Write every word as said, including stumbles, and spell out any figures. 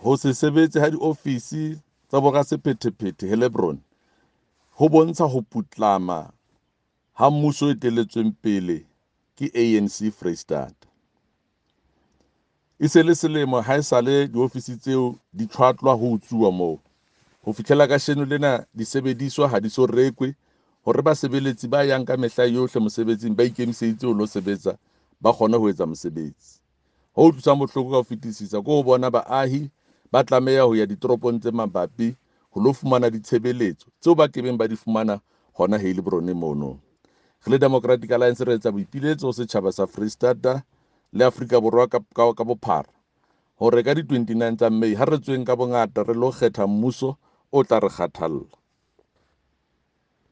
Ho se sebetse ha diofisi tsa borasephethephethe Heilbron ho bontsha ho putlama ha mmuso o etelletsweng pele ke A N C Freistata. E se le selemo haesale diofisi tseo di tjhwatlwa ho utsuwa moo. Ho fihlela kasheno lena disebediswa ha di so rekwe hore basebeletsi ba yang ka mehla yohle mosebetsing ba ikemiseditse ho lo sebetsa ba kgone ho etsa mosebetsi. Ho utlwisang bohloko ka ho fetisisa ke ho bona baahi ba tlameha ho ya ditoropong tse mabapi ho lo fumana ditshebeletso tseo ba kebeng ba di fumana hona Heilbron mono. Re le Democratic Alliance re etsa boipiletso ho setjhaba sa Freistata le Afrika Borwa ka, ka, ka bophara hore ka di twenty-nine tsa May ha re tsweng ka bongata re lo kgetha mmuso o tla re kgathalla.